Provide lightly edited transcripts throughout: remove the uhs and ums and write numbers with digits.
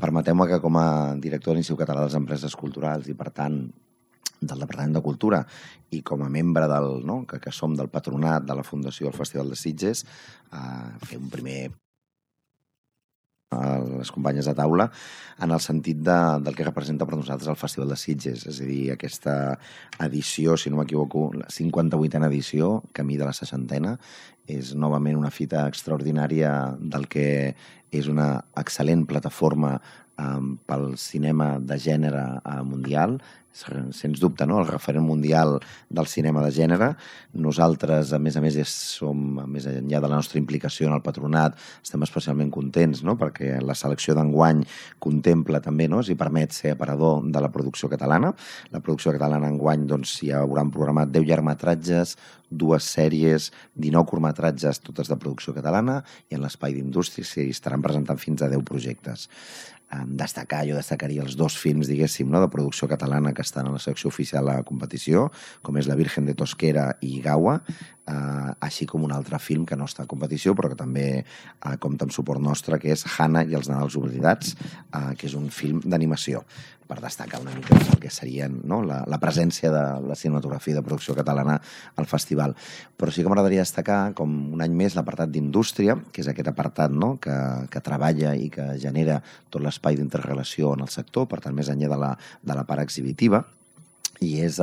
permeteu-me que com a director de l'Institut Català de les Empreses Culturals i, per tant, del Departament de Cultura i com a membre que som del patronat de la Fundació del Festival de Sitges, fer un primer a les companyes de taula en el sentit del que representa per nosaltres el Festival de Sitges, és a dir, aquesta edició, si no m'equivoco, la 58a edició, camí de la 60a, és novament una fita extraordinària del que és una excel·lent plataforma pel cinema de gènere mundial, sens dubte, no? El referent mundial del cinema de gènere. Nosaltres, a més, som, més enllà de la nostra implicació en el patronat, estem especialment contents, no? Perquè la selecció d'enguany contempla també, no? Si permet ser aparador de la producció catalana. La producció catalana enguany hi hauran programat 10 llargmetratges, 2 sèries, 19 curtmetratges, totes de producció catalana, i en l'espai d'indústria s'hi estaran presentant fins a 10 projectes. Jo destacaria els 2 films, diguéssim, de producció catalana que estan a la secció oficial a la competició, com és La Virgen de Tosquera i Gaua, així com un altre film que no està a competició, però que també compta amb suport nostre, que és Hannah i els Nadals oblidats, que és un film d'animació, per destacar una mica el que serien la presència de la cinematografia de producció catalana al festival. Però sí que m'agradaria destacar, com un any més, l'apartat d'indústria, que és aquest apartat que treballa i que genera tot l'espai d'interrelació en el sector, per tant, més enllà de la part exhibitiva, i és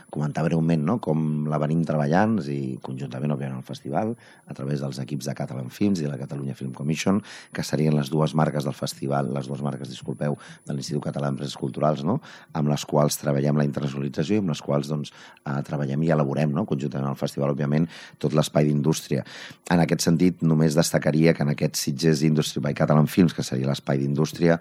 comentar breument com la venim treballant, i conjuntament, òbviament, al festival, a través dels equips de Catalan Films i de la Catalunya Film Commission, que serien les dues marques del festival, de l'Institut Català d'Empreses Culturals, amb les quals treballem la internacionalització i amb les quals treballem i elaborem conjuntament al festival, òbviament, tot l'espai d'indústria. En aquest sentit, només destacaria que en aquest Sitges Industry by Catalan Films, que seria l'espai d'indústria,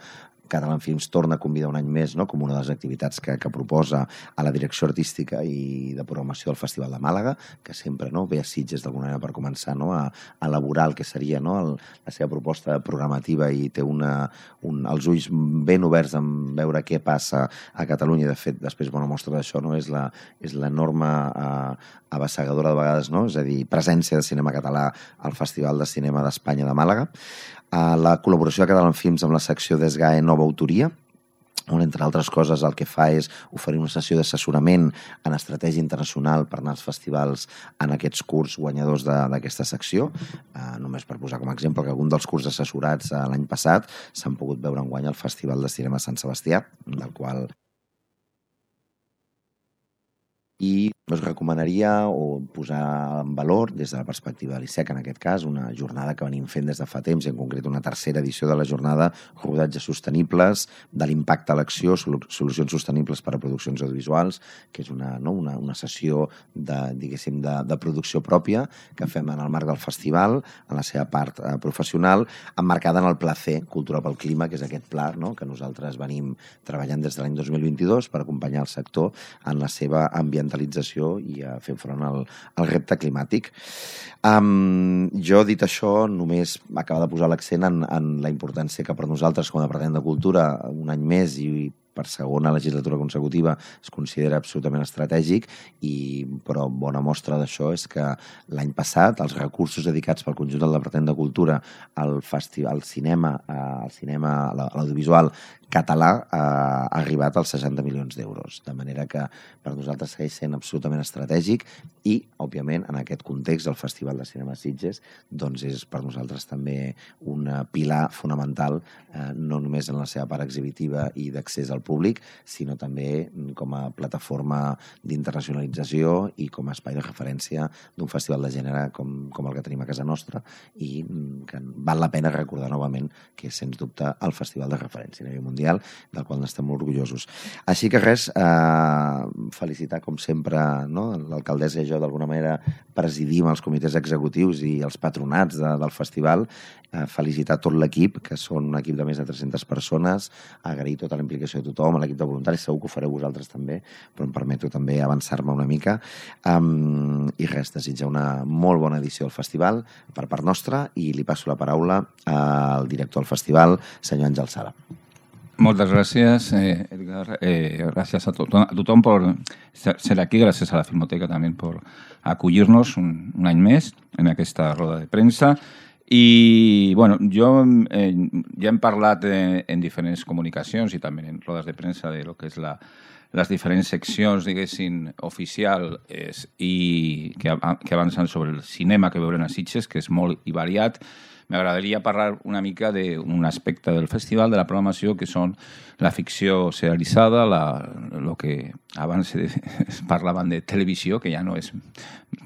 Catalan Films torna a convidar un any més com una de les activitats que proposa a la direcció artística i de programació del Festival de Màlaga, que sempre ve a Sitges d'alguna manera per començar a elaborar el que seria la seva proposta programativa i té els ulls ben oberts en veure què passa a Catalunya. De fet, després bona mostra d'això és l'enorme abassegadora de vegades, és a dir, presència de cinema català al Festival de Cinema d'Espanya de Màlaga. La col·laboració de Catalan Films amb la secció d'ESGAE Nova Autoria, on, entre altres coses, el que fa és oferir una sessió d'assessorament en estratègia internacional per anar als festivals en aquests curs guanyadors d'aquesta secció. Només per posar com a exemple que algun dels curs assessorats l'any passat s'han pogut veure enguany al Festival de Cinema Sant Sebastià, del qual i us recomanaria o posar en valor, des de la perspectiva de l'ISEC, en aquest cas, una jornada que venim fent des de fa temps, en concret una tercera edició de la jornada Rodatges Sostenibles, de l'impacte a l'acció, solucions sostenibles per a produccions audiovisuals, que és una sessió de producció pròpia que fem en el marc del festival, en la seva part professional, emmarcada en el Placer Cultura pel Clima, que és aquest pla que nosaltres venim treballant des de l'any 2022 per acompanyar el sector en la seva ambientalització i a fer front al repte climàtic. Jo, dit això, només acaba de posar l'accent en la importància que per nosaltres, com a Departament de Cultura, un any més i per segona legislatura consecutiva es considera absolutament estratègic, però bona mostra d'això és que l'any passat els recursos dedicats pel conjunt del Departament de Cultura al cinema, a l'audiovisual català ha arribat als 60 milions d'euros, de manera que per nosaltres segueix sent absolutament estratègic i, òbviament, en aquest context el Festival de Cinema Sitges és per nosaltres també un pilar fonamental, no només en la seva part exhibitiva i d'accés al públic, sinó també com a plataforma d'internacionalització i com a espai de referència d'un festival de gènere com el que tenim a casa nostra i que val la pena recordar novament que és, sens dubte, el festival de referència a nivell mundial, del qual n'estem molt orgullosos. Així que res, felicitar, com sempre, l'alcaldessa i jo, d'alguna manera, presidim els comitès executius i els patronats del festival, felicitar tot l'equip, que són un equip de més de 300 persones, agrair tota la implicació de tothom, a l'equip de voluntaris, segur que ho fareu vosaltres també, però em permeto també avançar-me una mica. I res, desitjar una molt bona edició del festival per part nostra i li passo la paraula al director del festival, senyor Àngel Sala. Moltes gràcies, Edgar. Gràcies a tothom per ser aquí, gràcies a la Filmoteca també per acollir-nos un any més en aquesta roda de premsa I, bueno, jo ja hem parlat en diferents comunicacions i també en rodes de premsa de lo que és les diferents seccions, diguéssim, oficials i que avancen sobre el cinema que veurem a Sitges, que és molt i variat. M'agradaria parlar una mica d'un aspecte del festival, de la programació, que són la ficció serialitzada, el que abans es parlaven de televisió, que ja no és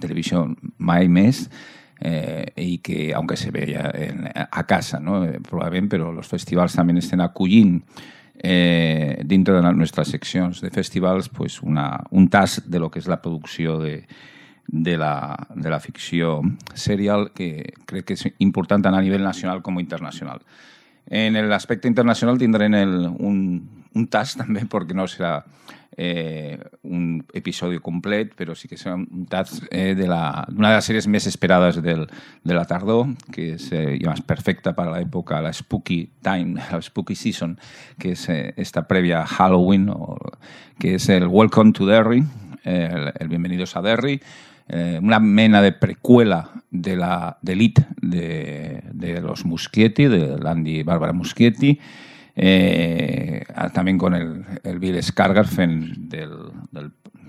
televisió mai més, i que, aunque se veia a casa, ¿no? Probablement, però els festivals també estan acollint dintre de les nostres seccions de festivals pues, un tast de lo que és la producció de la ficció serial, que crec que és important tant a nivell nacional com internacional. En l'aspecte internacional tindrem un tast també, perquè no serà un episodi complet, però sí que serà un tast d'una de les sèries més esperades de la tardor, que és perfecta per a l'època, la Spooky Time, la Spooky Season, que és esta prèvia a Halloween, que és el Welcome to Derry, el Bienvenidos a Derry, una mena de precuela de l'Elite de los Muschietti, de l'Andy Barbara Muschietti, també con el Bill Skarsgård fent del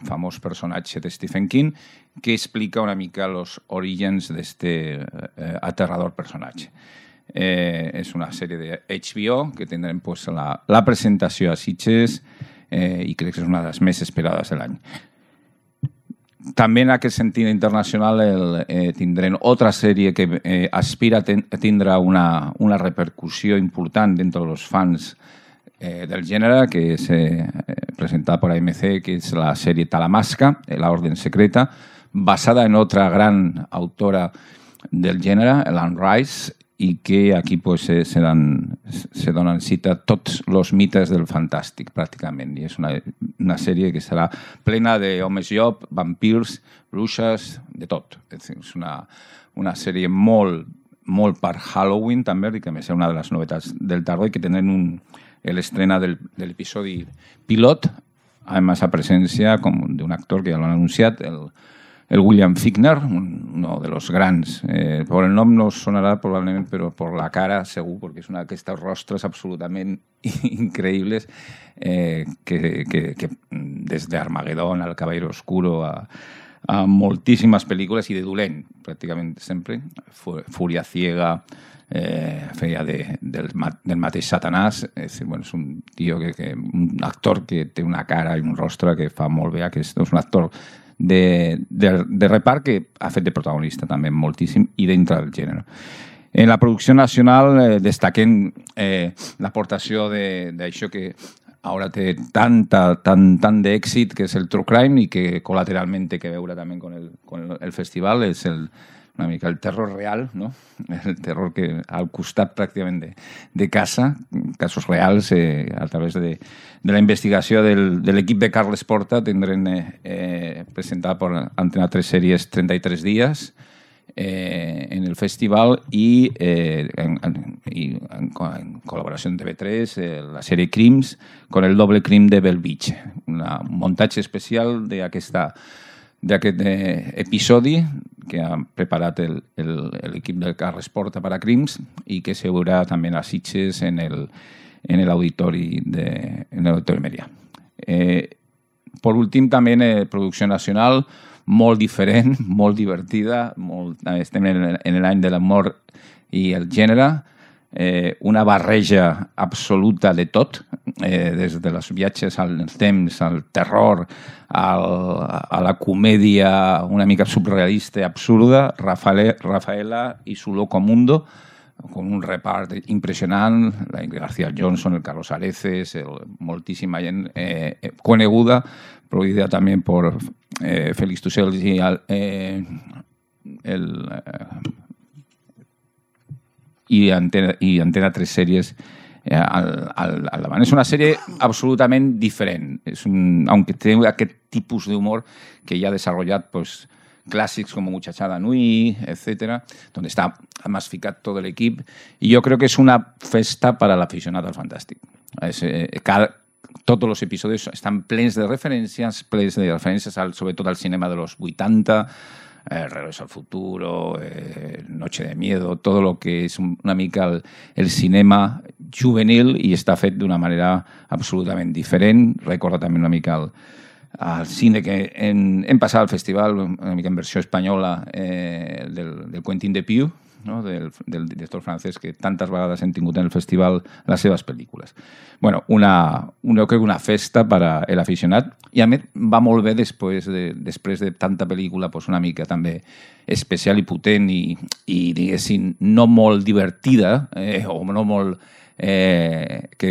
famós personatge de Stephen King, que explica una mica els orígens d'este aterrador personatge. És una sèrie de HBO que tindrem pues, la presentació a Sitges i crec que és una de les més esperades de l'any. També en aquest sentit internacional tindrem altra sèrie que aspira a tindre una repercussió important dintre dels fans del gènere, que és presentada per AMC, que és la sèrie Talamasca, La Orden Secreta, basada en otra gran autora del gènere, Anne Rice, i que aquí pues, se donen cita tots els mites del fantàstic, pràcticament. I és una sèrie que serà plena d'homes llop, vampirs, bruixes, de tot. És una sèrie molt per Halloween, també, que a més és una de les novetats del tardor, i que tenen l'estrena de l'episodi pilot, a més a presència d'un actor que ja l'han anunciat, el William Fichtner, uno de los grands. Por el nom no sonarà probablement, però per la cara segur, perquè és una d'aquestes rostres absolutament increïbles que des d'Armagedón al Caballero Oscuro a moltíssimes pel·lícules i de dolent, pràcticament sempre. Fúria ciega, feia del mateix Satanàs. És un tio, un actor que té una cara i un rostre que fa molt bé, que és un actor de repart que ha fet de protagonista també moltíssim i dintre del gènere. En la producció nacional destaquem l'aportació d'això que ara té tant d'èxit, que és el True Crime, i que col·lateralment té que veure també con el festival. És una mica el terror real, no? El terror que al costat pràcticament de casa, casos reals, a través de la investigació de l'equip de Carles Porta, tindrem presentada per Antena 3 sèries 33 dies en el festival i en col·laboració amb TV3 la sèrie Crims con el doble crim de Bell Beach, un muntatge especial d'aquest episodi que ha preparat l'equip del Carles Porta per a Crims i que se veurà també a Sitges en l'auditori Merià. Per últim, també en producció nacional, molt diferent, molt divertida, estem en l'any de l'amor i el gènere, una barreja absoluta de tot, des de els viatges al temps, al terror, a la comèdia una mica surrealista, absurda, Rafaela i su loco mundo, con un repart impressionant, la Ingrid García Johnson, el Carlos Areces, moltíssima gent coneguda, produïda també per Félix Tussels i Antena 3 sèries al davant. És una sèrie absolutament diferent, aunque té aquest tipus d'humor que ja ha desenvolupat clàssics com Muchachada Nui, etc., donde está masificat tot l'equip, i jo crec que és una festa per a l'aficionat al fantàstic. Tots els episodis estan plens de referències, sobretot al cinema de los 80, Regreso al futuro, Noche de miedo, todo lo que és una mica el cinema juvenil i està fet d'una manera absolutament diferent. Recorda també una mica el cine que hem passat al festival, una mica en versió espanyola, del Quentin Dupieux, no? del director francès que tantes vegades hem tingut en el festival les seves pel·lícules. Bueno, jo crec una festa per a l'aficionat i a més va molt bé després de tanta pel·lícula pues una mica també especial i potent i diguéssim no molt divertida o no molt que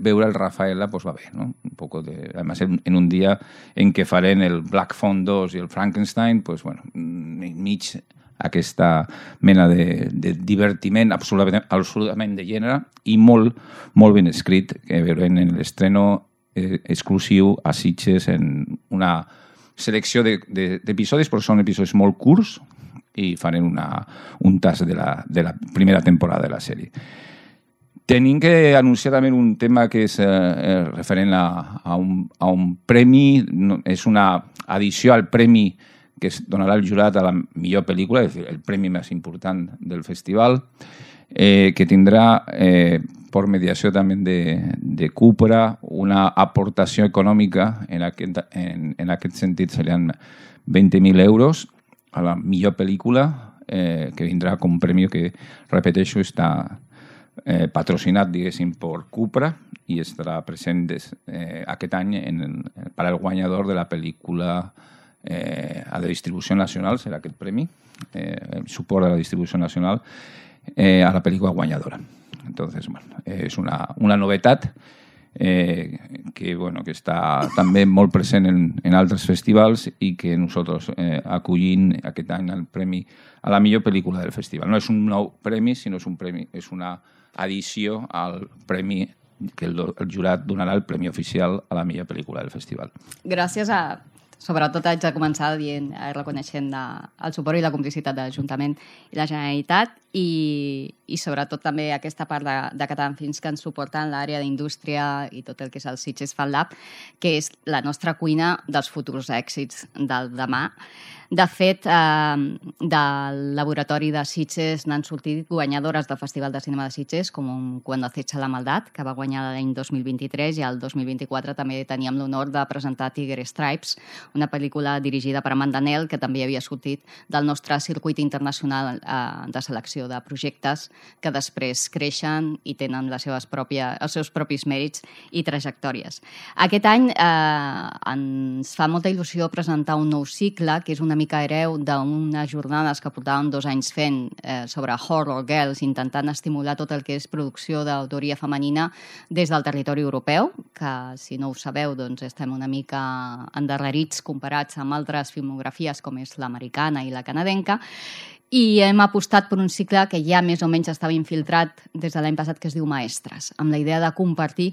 veure el Rafaela pues va bé, ¿no? Un poco además en un dia en què farem el Black Phone 2 i el Frankenstein, pues bueno, mig aquesta mena de divertiment absolutament de gènere i molt ben escrit que veurem en l'estreno exclusiu a Sitges en una selecció d'episodis, però són episodis molt curts i farem un tast de la primera temporada de la sèrie. Tenim que anunciar també un tema que és referent a un premi, és una addició al premi que es donarà el jurat a la millor pel·lícula, és el premi més important del festival, que tindrà, per mediació també de Cupra, una aportació econòmica, en aquest sentit serien 20.000 euros a la millor pel·lícula, que vindrà com premi que, repeteixo, està patrocinat, diguéssim, per Cupra i estarà present aquest any per al guanyador de la pel·lícula a la distribució nacional, serà aquest premi, el suport a la distribució nacional a la pel·lícula guanyadora. Entonces, bueno, és una novetat que està també molt present en altres festivals i que nosaltres acollim aquest any el premi a la millor pel·lícula del festival. No és un nou premi, sinó és una addició al premi que el jurat donarà el premi oficial a la millor pel·lícula del festival. Gràcies a... Sobretot haig de començar reconeixent el suport i la complicitat de l'Ajuntament i la Generalitat i sobretot també aquesta part de Catalan Films que ens suporta en l'àrea d'indústria i tot el que és el Sitges Fan Lab, que és la nostra cuina dels futurs èxits del demà. De fet, del laboratori de Sitges n'han sortit guanyadores del Festival de Cinema de Sitges, com Cuando acecha la maldad, que va guanyar l'any 2023, i el 2024 també teníem l'honor de presentar Tiger Stripes, una pel·lícula dirigida per Amanda Nell, que també havia sortit del nostre circuit internacional de selecció de projectes que després creixen i tenen els seus propis mèrits i trajectòries. Aquest any ens fa molta il·lusió presentar un nou cicle, que és una mica hereu d'unes jornades que portàvem 2 anys fent sobre Horror Girls, intentant estimular tot el que és producció d'autoria femenina des del territori europeu, que si no ho sabeu doncs estem una mica endarrerits comparats amb altres filmografies com és l'americana i la canadenca, i hem apostat per un cicle que ja més o menys estava infiltrat des de l'any passat, que es diu Maestres, amb la idea de compartir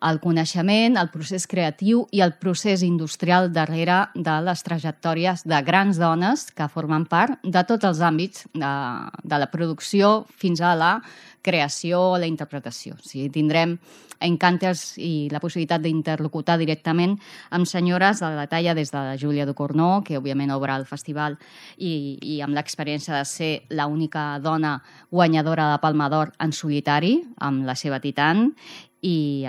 el coneixement, el procés creatiu i el procés industrial darrere de les trajectòries de grans dones que formen part de tots els àmbits de la producció fins a la creació o la interpretació. O sigui, tindrem encounters i la possibilitat d'interlocutar directament amb senyores de la talla des de la Júlia Ducournau, que òbviament obre el festival i amb l'experiència de ser l'única dona guanyadora de Palma d'Or en solitari, amb la seva Titan, i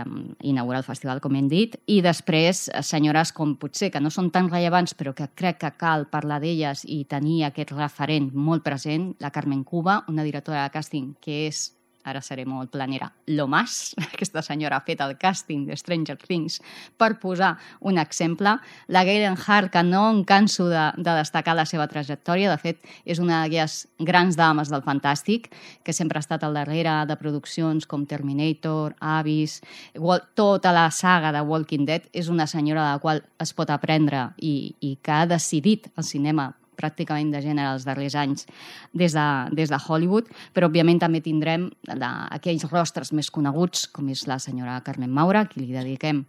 inaugurar el festival, com hem dit, i després senyores com potser que no són tan rellevants però que crec que cal parlar d'elles i tenir aquest referent molt present, la Carmen Cuba, una directora de càsting que és, ara seré molt planera, lo más. Aquesta senyora ha fet el càsting de Stranger Things per posar un exemple. La Galen Hart, que no em canso de destacar la seva trajectòria, de fet, és una d'aquelles grans dames del fantàstic, que sempre ha estat al darrere de produccions com Terminator, Abyss, tota la saga de Walking Dead. És una senyora de la qual es pot aprendre i que ha decidit el cinema pràcticament de gènere els darrers anys des de Hollywood, però òbviament també tindrem aquells rostres més coneguts, com és la senyora Carmen Maura, a qui li dediquem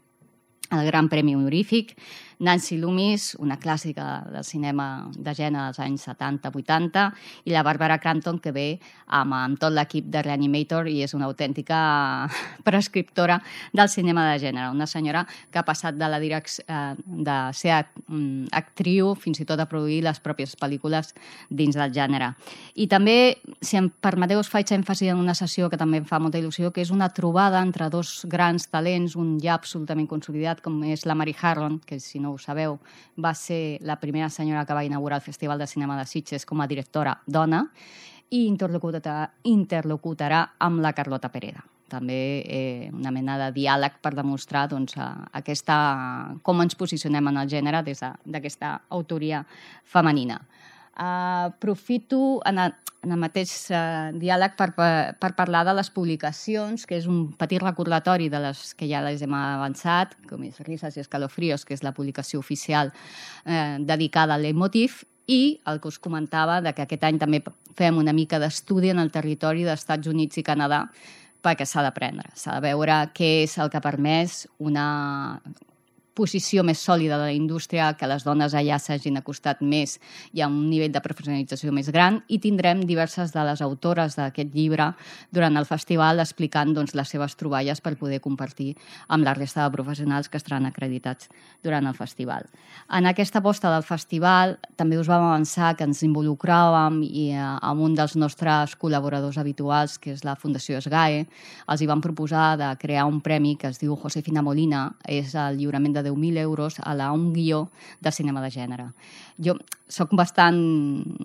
el Gran Premi Honorífic, Nancy Loomis, una clàssica del cinema de gènere dels anys 70-80, i la Barbara Crampton, que ve amb tot l'equip de Reanimator i és una autèntica prescriptora del cinema de gènere. Una senyora que ha passat de ser actriu fins i tot a produir les pròpies pel·lícules dins del gènere. I també, si em permeteu, us faig èmfasi en una sessió que també em fa molta il·lusió, que és una trobada entre dos grans talents, un ja absolutament consolidat, com és la Mary Harron, que si no ho sabeu, va ser la primera senyora que va inaugurar el Festival de Cinema de Sitges com a directora dona, i interlocutarà amb la Carlota Pereda. També una mena de diàleg per demostrar com ens posicionem en el gènere des d'aquesta autoria femenina. Aprofito en el mateix diàleg per parlar de les publicacions, que és un petit recordatori de les que ja les hem avançat, com és Risas i Escalofríos, que és la publicació oficial dedicada al leitmotiv, i el que us comentava de que aquest any també fem una mica d'estudi en el territori dels Estats Units i Canadà, perquè s'ha d'aprendre, s'ha de veure què és el que ha permès una posició més sòlida de la indústria, que les dones allà s'hagin acostat més i a un nivell de professionalització més gran, i tindrem diverses de les autores d'aquest llibre durant el festival explicant les seves troballes per poder compartir amb la resta de professionals que estaran acreditats durant el festival. En aquesta aposta del festival també us vam avançar que ens involucràvem amb un dels nostres col·laboradors habituals, que és la Fundació SGAE. Els hi vam proposar de crear un premi que es diu Josefina Molina, és el lliurament de 10.000 euros a un guió de cinema de gènere. Jo soc bastant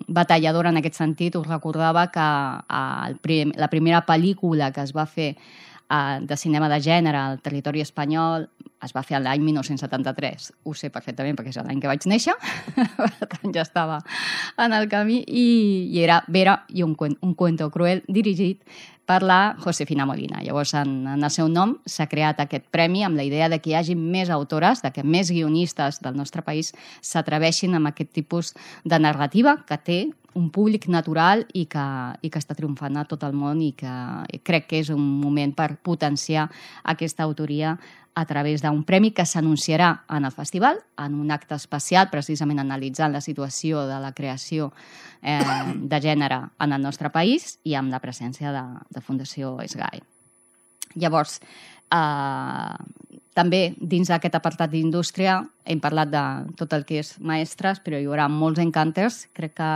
batalladora en aquest sentit. Us recordava que la primera pel·lícula que es va fer de cinema de gènere al territori espanyol es va fer l'any 1973. Ho sé perfectament perquè és l'any que vaig néixer, per tant ja estava en el camí, i era Vera i un cuento cruel, dirigit per la Josefina Molina. Llavors, en el seu nom s'ha creat aquest premi amb la idea de que hi hagi més autores, de que més guionistes del nostre país s'atreveixin amb aquest tipus de narrativa que té un públic natural i que està triomfant a tot el món, i que crec que és un moment per potenciar aquesta autoria a través d'un premi que s'anunciarà en el festival, en un acte especial, precisament analitzant la situació de la creació de gènere en el nostre país i amb la presència de Fundació SGAE. Llavors, també dins d'aquest apartat d'indústria hem parlat de tot el que és maestres, però hi haurà molts encanters. Crec que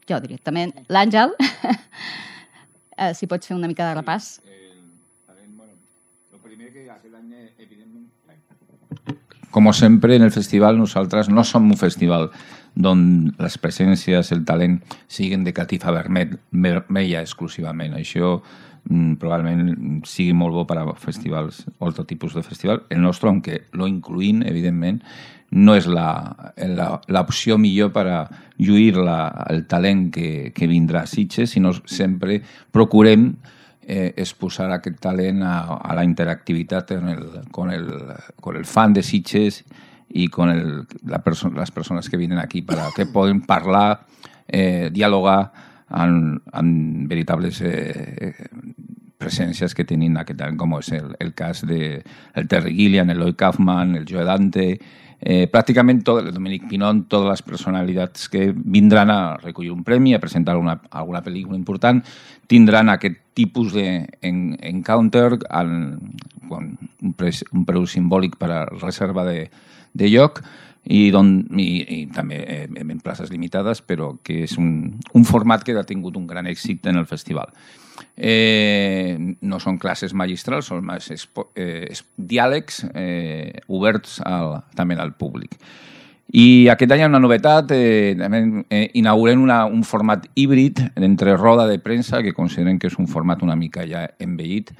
jo directament, l'Àngel, si pots fer una mica de repàs. Como siempre en el festival, nosaltres no som un festival on les presències, el talent, siguen de catifa vermella exclusivament. Això probablement sigui molt bo per a festivals, altre tipus de festival. El nostre, aunque lo incluïm, evidentment, no és l'opció millor per a lluir el talent que vindrà a Sitges, sinó sempre procurem exposar aquest talent a la interactivitat con el fan de Sitges y con las personas que vienen aquí para que puedan parlar, dialogar amb veritables presències que tenim aquest any, com és el cas del Terry Gilliam, el Lloyd Kaufman, el Joe Dante, pràcticament tot, el Dominic Pinon, totes les personalitats que vindran a recollir un premi, a presentar alguna pel·lícula important, tindran aquest tipus d'encounter amb un preu simbòlic per a reserva de lloc i també en places limitades, però que és un format que ha tingut un gran èxit en el festival. No són classes magistrals, són més diàlegs oberts també al públic. I aquest any hi ha una novetat, inaugurem un format híbrid entre roda de premsa, que considerem que és un format una mica ja envellit,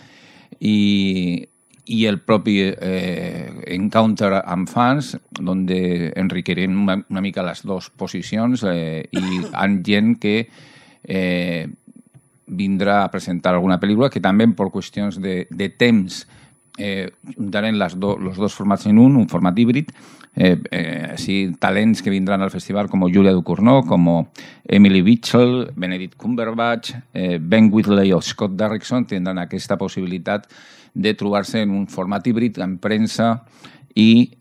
i el propi encounter amb fans, on enriquirem una mica les dues posicions i amb gent que vindrà a presentar alguna pel·lícula, que també per qüestions de temps juntarem els dos formats en un format híbrid. Talents que vindran al festival com Julia Ducournau, com Emily Mitchell, Benedict Cumberbatch, Ben Whitley o Scott Derrickson tindran aquesta possibilitat de trobar-se en un format híbrid en premsa i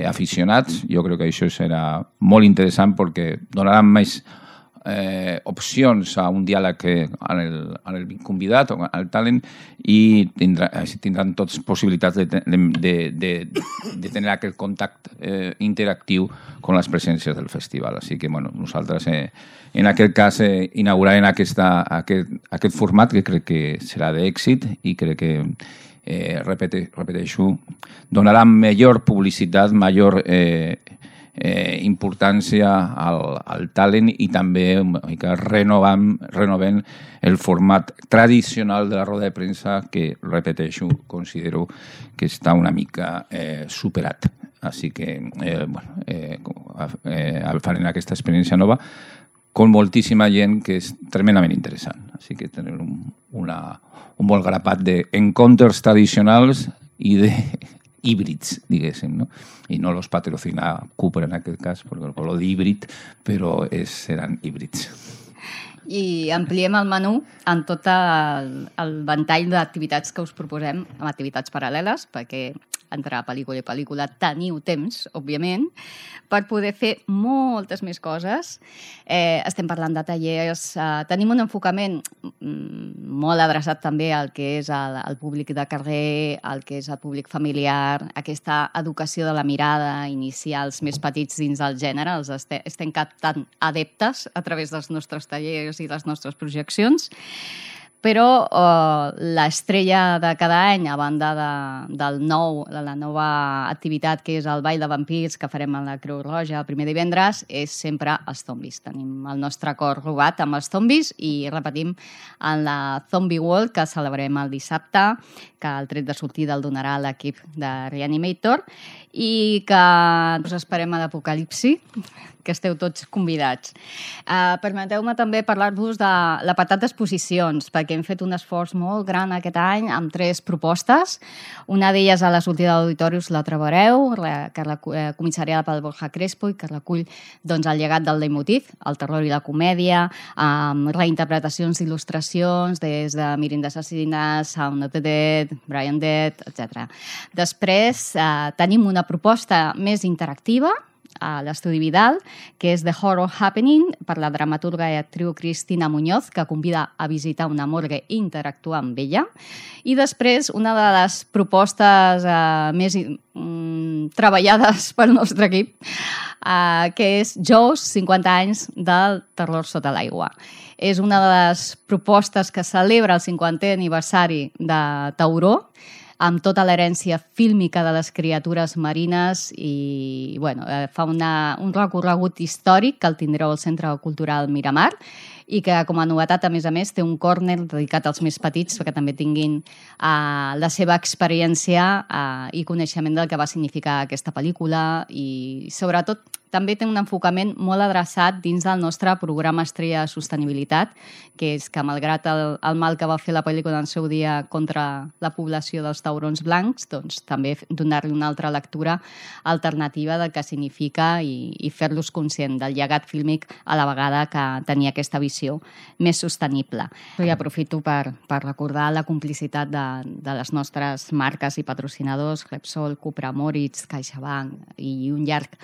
aficionats. Jo crec que això serà molt interessant perquè donaran més opcions a un diàleg al convidat o al talent i tindran tots possibilitats de tenir aquest contacte interactiu amb les presències del festival. Així que nosaltres en aquest cas inaugurarem aquest format que crec que serà d'èxit i crec que repeteixo, donarà millor publicitat, major importància al talent i també que renovem el format tradicional de la roda de premsa que, repeteixo, considero que està una mica superat. Així que farem aquesta experiència nova amb moltíssima gent que és tremendament interessant. Així que tenim un bon grapat d'encontres tradicionals i de híbrids, diguéssim, no? I no los patrocina Cooper en aquest cas, perquè el color d'híbrid, però seran híbrids. I ampliem el menú en tot el ventall d'activitats que us proposem, amb activitats paral·leles, perquè entre pel·lícula i pel·lícula teniu temps, òbviament, per poder fer moltes més coses. Estem parlant de tallers, tenim un enfocament molt adreçat també al que és el públic de carrer, al que és el públic familiar, aquesta educació de la mirada, iniciar els més petits dins del gènere, els estem captant adeptes a través dels nostres tallers i les nostres projeccions. Però l'estrella de cada any, a banda de la nova activitat que és el Ball de Vampirs que farem a la Creu Roja el primer divendres, és sempre els zombis. Tenim el nostre cor robat amb els zombis i repetim en la Zombie World que celebrem el dissabte, que el tret de sortida el donarà l'equip de Reanimator i que us esperem a l'Apocalipsi, que esteu tots convidats. Permeteu-me també parlar-vos de l'apartat d'exposicions, perquè hem fet un esforç molt gran aquest any amb 3 propostes. Una d'elles a la sortida d'Auditorius la trobareu, que la comissariada pel Borja Crespo i que recull el llegat del leitmotiv, el terror i la comèdia, amb reinterpretacions d'il·lustracions des de Mirin d'Assassines, Sound of the Dead, Brian Dead, etc. Després tenim una proposta més interactiva a l'Estudi Vidal, que és The Horror Happening, per la dramaturga i actriu Cristina Muñoz, que convida a visitar una morgue i interactuar amb ella. I després, una de les propostes més treballades pel nostre equip, que és Jaws, 50 anys del terror sota l'aigua. És una de les propostes que celebra el 50è aniversari de Tauró, amb tota l'herència fílmica de les criatures marines i fa un recorregut històric que el tindreu al Centre Cultural Miramar i que, com a novetat, a més, té un córner dedicat als més petits perquè també tinguin la seva experiència i coneixement del que va significar aquesta pel·lícula i, sobretot, també té un enfocament molt adreçat dins del nostre programa Estrella de Sostenibilitat, que és que, malgrat el mal que va fer la pel·lícula en el seu dia contra la població dels taurons blancs, doncs també donar-li una altra lectura alternativa del que significa i fer-los conscient del llegat fílmic a la vegada que tenia aquesta visió més sostenible. I aprofito per recordar la complicitat de les nostres marques i patrocinadors, Repsol, Cupra, Moritz, CaixaBank i un llarg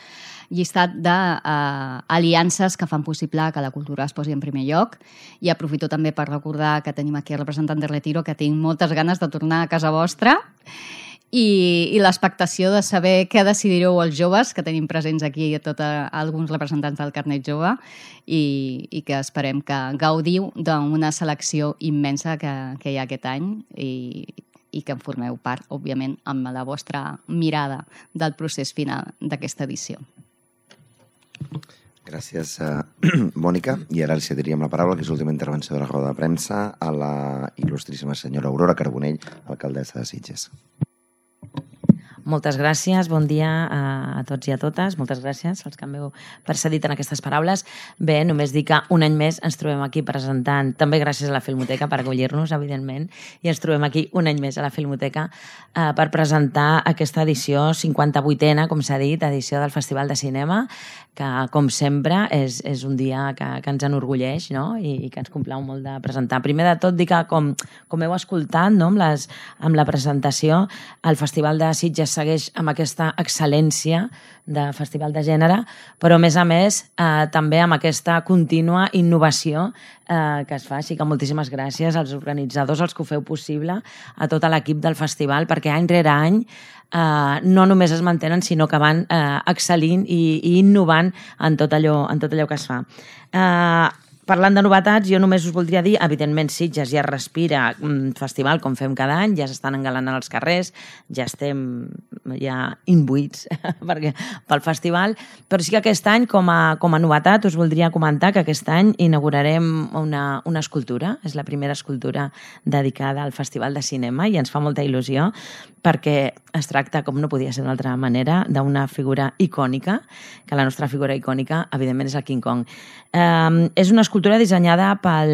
llistat d'aliances que fan possible que la cultura es posi en primer lloc. I aprofito també per recordar que tenim aquí el representant de Retiro, que tinc moltes ganes de tornar a casa vostra i l'expectació de saber què decidireu els joves, que tenim presents aquí alguns representants del Carnet Jove i que esperem que gaudiu d'una selecció immensa que hi ha aquest any i que en formeu part, òbviament, amb la vostra mirada del procés final d'aquesta edició. Gràcies, Mònica. I ara li cediríem la paraula, que és l'última intervenció de la roda de premsa, a la il·lustríssima senyora Aurora Carbonell, alcaldessa de Sitges. Moltes gràcies, bon dia a tots i a totes. Moltes gràcies als que m'heu precedit en aquestes paraules. Bé, només dir que un any més ens trobem aquí presentant, també gràcies a la Filmoteca per acollir-nos, evidentment, i ens trobem aquí un any més a la Filmoteca per presentar aquesta edició 58a, com s'ha dit, edició del Festival de Cinema, que, com sempre, és un dia que ens enorgulleix, no? I que ens complau molt de presentar. Primer de tot, dir que, com heu escoltat, no? amb la presentació, el Festival de Sitges segueix amb aquesta excel·lència de festival de gènere, però a més també amb aquesta contínua innovació que es fa. Així que moltíssimes gràcies als organitzadors, als que ho feu possible, a tot l'equip del festival, perquè any rere any no només es mantenen, sinó que van excel·lint i innovant en tot allò que es fa. Parlant de novetats, jo només us voldria dir, evidentment, Sitges ja respira festival, com fem cada any, ja s'estan engalanant els carrers, ja estem imbuïts pel festival, però sí que aquest any, com a novetat, us voldria comentar que aquest any inaugurarem una escultura, és la primera escultura dedicada al Festival de Cinema i ens fa molta il·lusió, perquè es tracta, com no podia ser d'una altra manera, d'una figura icònica, que la nostra figura icònica, evidentment, és el King Kong. És una escultura dissenyada per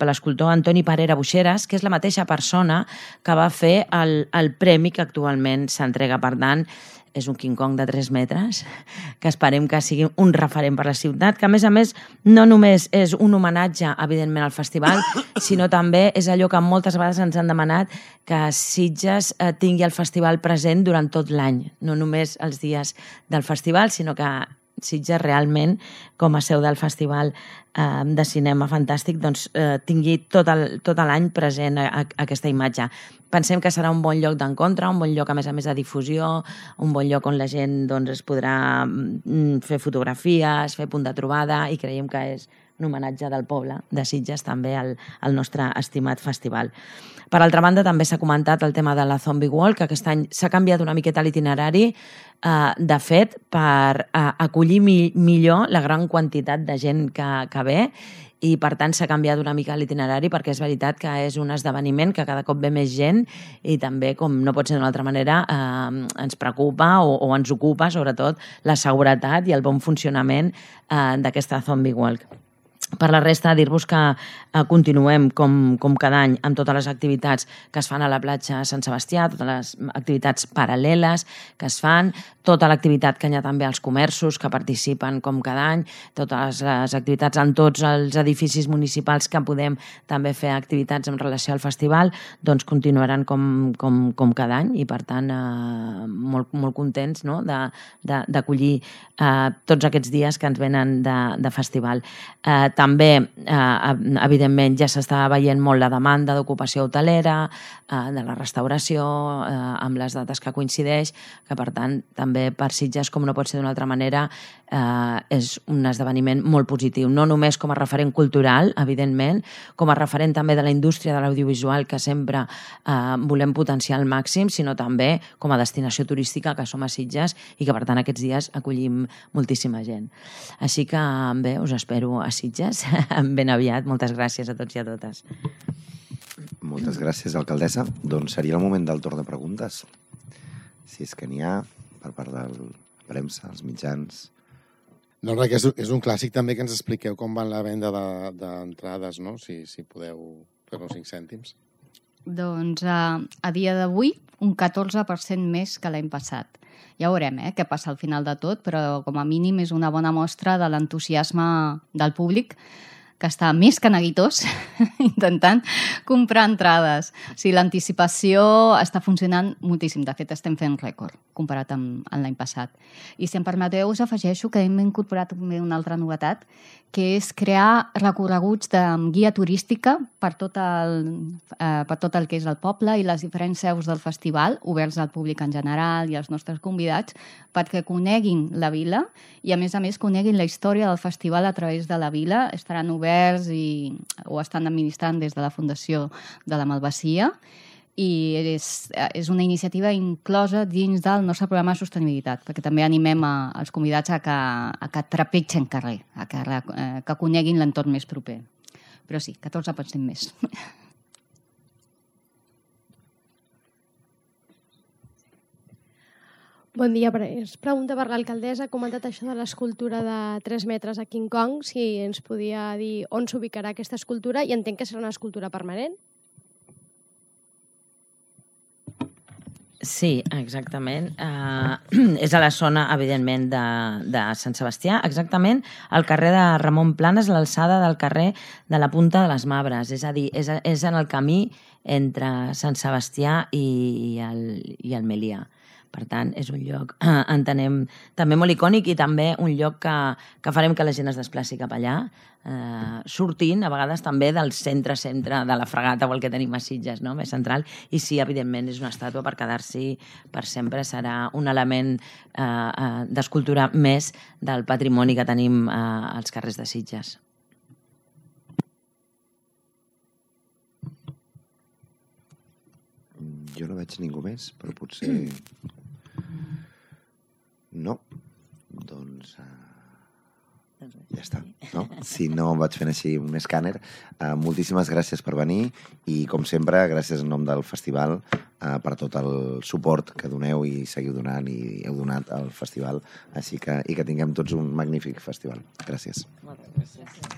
l'escultor Antoni Parera Buixeras, que és la mateixa persona que va fer el premi que actualment s'entrega. Per tant, és un King Kong de 3 metres, que esperem que sigui un referent per la ciutat, que a més, no només és un homenatge, evidentment, al festival, sinó també és allò que moltes vegades ens han demanat, que Sitges tingui el festival present durant tot l'any, no només els dies del festival, sinó que Sitges realment, com a seu del Festival de Cinema Fantàstic, doncs, tingui tot l'any present aquesta imatge. Pensem que serà un bon lloc d'encontre, un bon lloc, a més, de difusió, un bon lloc on la gent es podrà fer fotografies, fer punt de trobada, i creiem que és un homenatge del poble de Sitges també al nostre estimat festival. Per altra banda, també s'ha comentat el tema de la Zombie Walk, que aquest any s'ha canviat una miqueta l'itinerari, de fet, per acollir millor la gran quantitat de gent que ve, i per tant s'ha canviat una mica l'itinerari, perquè és veritat que és un esdeveniment que cada cop ve més gent i també, com no pot ser d'una altra manera, ens preocupa o ens ocupa sobretot la seguretat i el bon funcionament d'aquesta Zombie Walk. Per la resta, dir-vos que continuem com cada any amb totes les activitats que es fan a la platja Sant Sebastià, totes les activitats paral·leles que es fan, tota l'activitat que hi ha també als comerços que participen com cada any, totes les activitats en tots els edificis municipals que podem també fer activitats en relació al festival, doncs continuaran com cada any, i per tant molt contents, no?, d'acollir tots aquests dies que ens venen de festival. També, evidentment, ja s'està veient molt la demanda d'ocupació hotelera, de la restauració, amb les dates que coincideix, que per tant també per Sitges, com no pot ser d'una altra manera, és un esdeveniment molt positiu, no només com a referent cultural, evidentment, com a referent també de la indústria de l'audiovisual, que sempre volem potenciar al màxim, sinó també com a destinació turística que som a Sitges i que per tant aquests dies acollim moltíssima gent. Així que bé, us espero a Sitges ben aviat. Moltes gràcies a tots i a totes. Moltes gràcies, alcaldessa. Doncs seria el moment del torn de preguntes. Si és que n'hi ha, per part de la premsa, els mitjans. No, res, és un clàssic també que ens expliqueu com va la venda d'entrades, no? Si podeu fer-nos 5 cèntims. Doncs a dia d'avui, un 14% més que l'any passat. Ja veurem què passa al final de tot, però com a mínim és una bona mostra de l'entusiasme del públic, que està més que neguitós intentant comprar entrades. O sigui, l'anticipació està funcionant moltíssim. De fet, estem fent rècord comparat amb l'any passat. I si em permeteu, us afegeixo que hem incorporat també una altra novetat, que és crear recorreguts de guia turística per tot el que és el poble i les diferents seus del festival, oberts al públic en general i als nostres convidats, perquè coneguin la vila i, a més, coneguin la història del festival a través de la vila. Estaran oberts o estan administrant des de la Fundació de la Malvasia, i és una iniciativa inclosa dins del nostre programa de sostenibilitat, perquè també animem els convidats a que trepitgen carrer, que coneguin l'entorn més proper. Però sí, 14% més. Bon dia, és pregunta per l'alcaldessa. Ha comentat això de l'escultura de 3 metres a King Kong, si ens podia dir on s'ubicarà aquesta escultura, i entenc que serà una escultura permanent. Sí, exactament. És a la zona, evidentment, de Sant Sebastià, exactament al carrer de Ramon Planes, a l'alçada del carrer de la Punta de les Mabres. És a dir, és en el camí entre Sant Sebastià i el Melià. Per tant, és un lloc, entenem, també molt icònic i també un lloc que farem que la gent es desplaci cap allà, sortint, a vegades també del centre de la Fregata o el que tenim a Sitges, no? Més central, i sí, evidentment, és una estàtua per quedar-s'hi per sempre, serà un element d'escultura més del patrimoni que tenim als carrers de Sitges. Jo no veig ningú més, però potser... No. Doncs ja està. No? Si no vaig fent així un escàner. Moltíssimes gràcies per venir i, com sempre, gràcies en nom del festival per tot el suport que doneu i seguiu donant i heu donat al festival. I que tinguem tots un magnífic festival. Gràcies. Moltes gràcies.